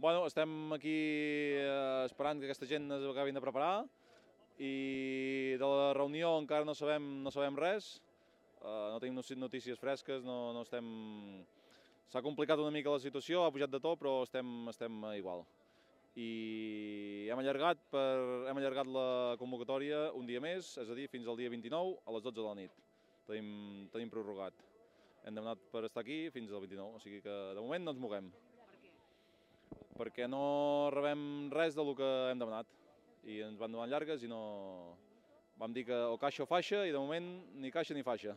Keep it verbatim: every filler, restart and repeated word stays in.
Bueno, estem aquí eh, esperant que aquesta gent es acabin de preparar i de la reunió encara no sabem, no sabem res, eh, no tenim notícies fresques, no, no estem... S'ha complicat una mica la situació, ha pujat de to, però estem, estem igual. I hem allargat, per, hem allargat la convocatòria un dia més, és a dir, fins al dia vint-i-nou a les dotze de la nit. Tenim, tenim prorrogat. Hem demanat per estar aquí fins al vint-i-nou, o sigui que de moment no ens moguem. Per què? Perquè no rebem res del que hem demanat i ens van donant llargues i no... Vam dir que o caixa o faixa i de moment ni caixa ni faixa.